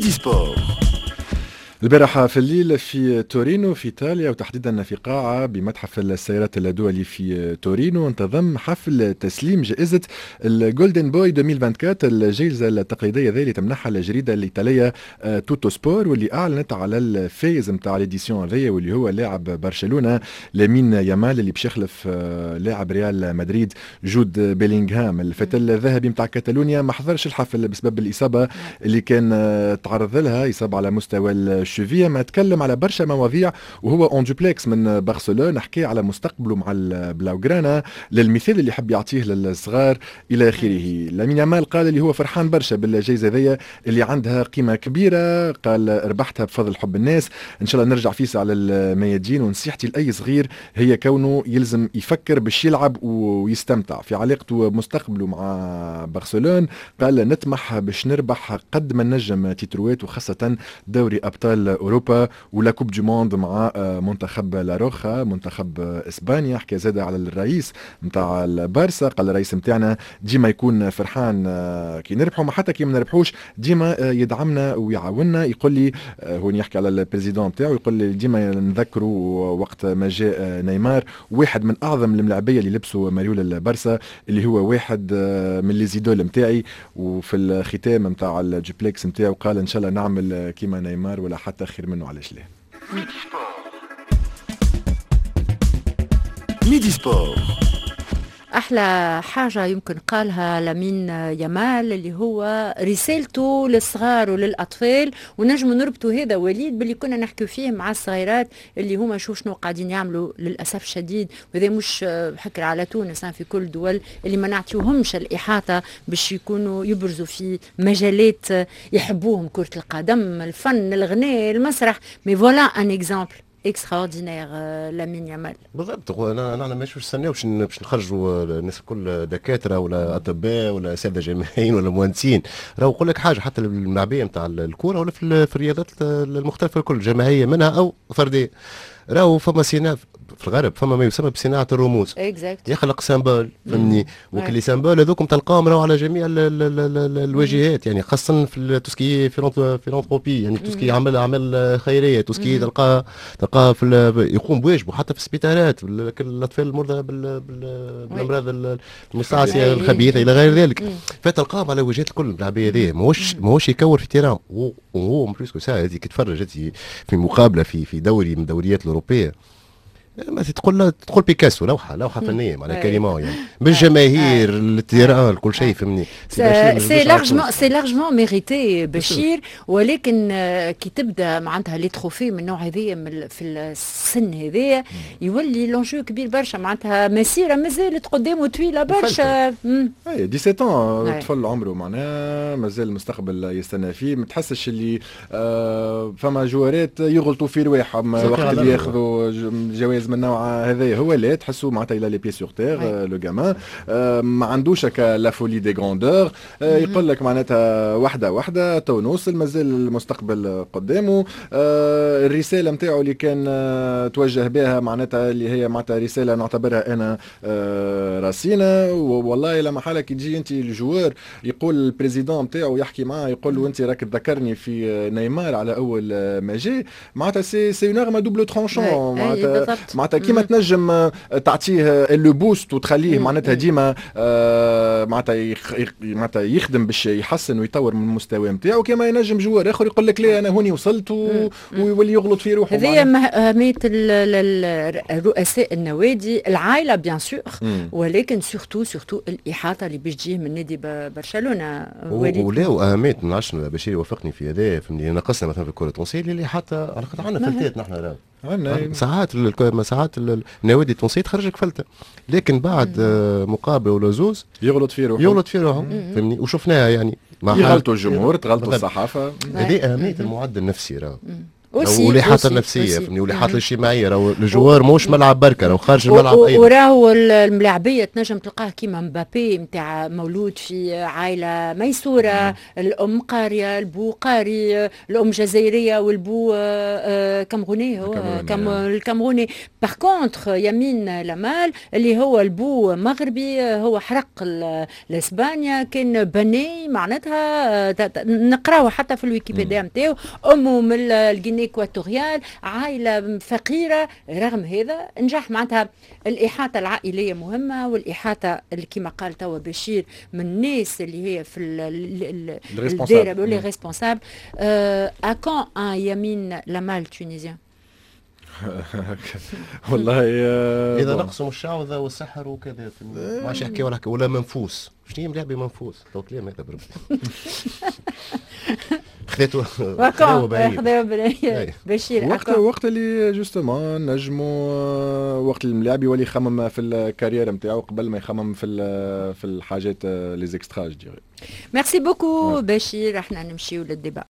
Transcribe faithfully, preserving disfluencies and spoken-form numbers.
Midi Sport. البارحة في الليل في تورينو في إيطاليا، وتحديدا في قاعة بمتحف السيارات الدولي في تورينو، انتظم حفل تسليم جائزة ال Golden Boy ألفين وأربعة وعشرين، الجائزة التقليدية ذي اللي تمنحها الجريدة الإيطالية توتو سبور، واللي أعلنت على الفايز نتاع l'édition هذيا، واللي هو لاعب برشلونة لامين يامال، اللي باش يخلف لاعب ريال مدريد جود بيلينغهام. الفتى الذهبي نتاع كاتالونيا ما حضرش الحفل بسبب الإصابة اللي كان تعرض لها، إصابة على مستوى ال cheville. ما تكلم على برشا مواضيع وهو en duplex من برشلونه، حكي على مستقبله مع البلاوغرانا، للمثال اللي يحب يعطيه للصغار الى اخره. لامين يامال قال اللي هو فرحان برشا بالجائزة هذيا اللي عندها قيمة كبيره، قال ربحتها بفضل حب الناس، ان شاء الله نرجع فيسع على الميادين، ونصيحتي لاي صغير هي كونه يلزم يفكر باش يلعب ويستمتع. في علاقته بمستقبله مع برشلونه قال نطمح باش نربح قد ما نجم تيتروات، وخاصة دوري ابطال اوروبا و la Coupe du Monde مع منتخب La Roja، منتخب اسبانيا. حكى زاد على الرئيس نتاع البارسا، قال الرئيس نتاعنا ديما يكون فرحان كي نربحوا، ما حتى كي ما نربحوش ديما يدعمنا ويعاوننا. يقول لي هو يحكي على ال président نتاعو، يقول لي ديما نذكروا وقت ما جاء نيمار، واحد من اعظم الملاعبيه اللي لبسوا مريول البارسا، اللي هو واحد من les idoles نتاعي. وفي الختام نتاع الجوبليكس نتاعو قال ان شاء الله نعمل كيما نيمار ولا حتى خير منه، علاش لا. Midi Sport. أحلى حاجة يمكن قالها لامين يامال اللي هو رسالته للصغار وللأطفال، ونجم نربطوا هذا وليد باللي كنا نحكي فيه مع الصغيرات اللي هما شوف شنو قاعدين يعملوا للأسف الشديد، وهذا مش حكر على تونس، في كل دول اللي ما نعطيوهمش الإحاطة باش يكونوا يبرزوا في مجالات يحبوهم، كرة القدم، الفن، الغناء، المسرح. mais voilà un exemple extraordinaire لامين يامال. بالضبط، انا نحن مش نستناو باش باش نخرجوا الناس الكل دكاترة ولا اطباء ولا اساتذة جامعيين ولا مهندسين. راهو نقول لك حاجه، حتى الملاعبيه نتاع الكورة ولا في الرياضات المختلفة الكل، جماعية منها او فردية، راهو فما صناعة في الغرب، فما ما يسمى بصناعة الرموز. exact. يخلق symbole، فهمني، وكل symboles هذوكم تلقاهم راهو على جميع ال ال ال الواجهات، يعني خاصة في tout ce qui philanthropie، يعني tout ce qui عمل اعمال خيريه، tout ce qui تلقاه تلقاه في يقوم بواجبه حتى في السبيطارات، الاطفال المرضى بالامراض المستعصيه الخبيثة الى غير ذلك، فتلقاهم على واجهات الكل اللاعبيه هذه، ماهوش ماهوش يكور في terrain، وهو plus que ça هذيك تفرج في مقابله في في دوري من الدوريات الاوروبية، ما تقول تقول بيكاسو، لوحة لوحة فنية معناها carrément، يعني بالجماهير ال terrain كل شيء، فهمني. c'est largement c'est largement mérité بشير، ولكن كي تبدا معناتها les trophées من النوع هذايا في السن هذايا يولي l'enjeu كبير برشا، معناتها مسيره مازالت قدامه طويلة برشا. اي سبعطاش طفل عمره معناها مازال المستقبل يستنى فيه، ما تحسش اللي آه فما جوارات يغلطوا في رواحهم وقت اللي ياخذوا جوائز من النوع هذايا، هو لا تحسوا معناتها il a les pieds sur terre le gamin، ما عندوش la folie des grandeurs، يقول لك معناتها واحدة واحدة تو نوصل، مازال المستقبل قدامه. الرسالة نتاعو اللي كان توجه بها معناتها اللي هي معناتها رسالة نعتبرها انا راسينه، والله لما حالك تجي انت ال joueur يقول ال président نتاعو يحكي معاه يقول له انت راك تذكرني في نيمار على اول ما جاء، معناتها c'est c'est une arme à double tranchant، معناتها معناتها كيما تنجم تعطيه le boost وتخليه معناتها ديما معناتها معناتها يخدم باش يحسن ويطور من المستوى نتاعو، كيما ينجم joueur اخر يقول لك لا انا هوني وصلت ويولي يغلط في روحه. هذه اهمية رؤساء النوادي، العائلة bien sûr، ولكن surtout surtout الاحاطة اللي باش تجيه من نادي برشلونة. ولا واهمية ما نعرفش بشير يوافقني في هذا، فهمني، نقصنا مثلا في الكره التونسية اللي حتى على خاطر عندنا فلتات نحن راهو ساعات ساعات النوادي التونسية تخرجك فلته، لكن بعد مقابله ولا زوز يغلط في روحه يغلط في روحه، فهمني، وشفناها يعني يغلطوا الجمهور، تغلطوا الصحافة. هذه اهمية المعد النفسي راه. والاحاطة النفسيه، فهمني، والاحاطة الاجتماعيه. راهو ال joueur ماهوش ملعب بركه، راهو خارج الملعب ايضا. وراهو الملاعبيه تنجم تلقاه كيما مبابي نتاع مولود في عائلة ميسوره، الام قاريه، البو قاري، الام جزائرية والبو آه، آه، كاميروني، هو الكاميروني. par contre يمين لامال اللي هو البو مغربي، هو حرق لاسبانيا، كان بني معناتها آه، نقراوه حتى في الويكيبيديا نتاعو، امه من ال Guinée équatoriale، عائلة فقيره، رغم هذا نجح. معناتها الاحاطة العائلية مهمه، والاحاطة اللي كما قال توا بشير من الناس اللي هي في الدائره، les responsables. à quand un يمين لامال tunisien؟ والله. اذا نقصوا الشعوذة والسحر وكذا، ما عادش يحكي ولا ولا منفوس. شنو هي ملاعبي منفوس؟ تو كلام هذا بربي؟ خذيته. خذاو بعيد بشير. وقت وقت اللي justement نجموا، وقت الملاعب يولي يخمم في ال carrière نتاعو قبل ما يخمم في في الحاجات les extras، je dirais. merci beaucoup بشير. احنا نمشيو لل débat.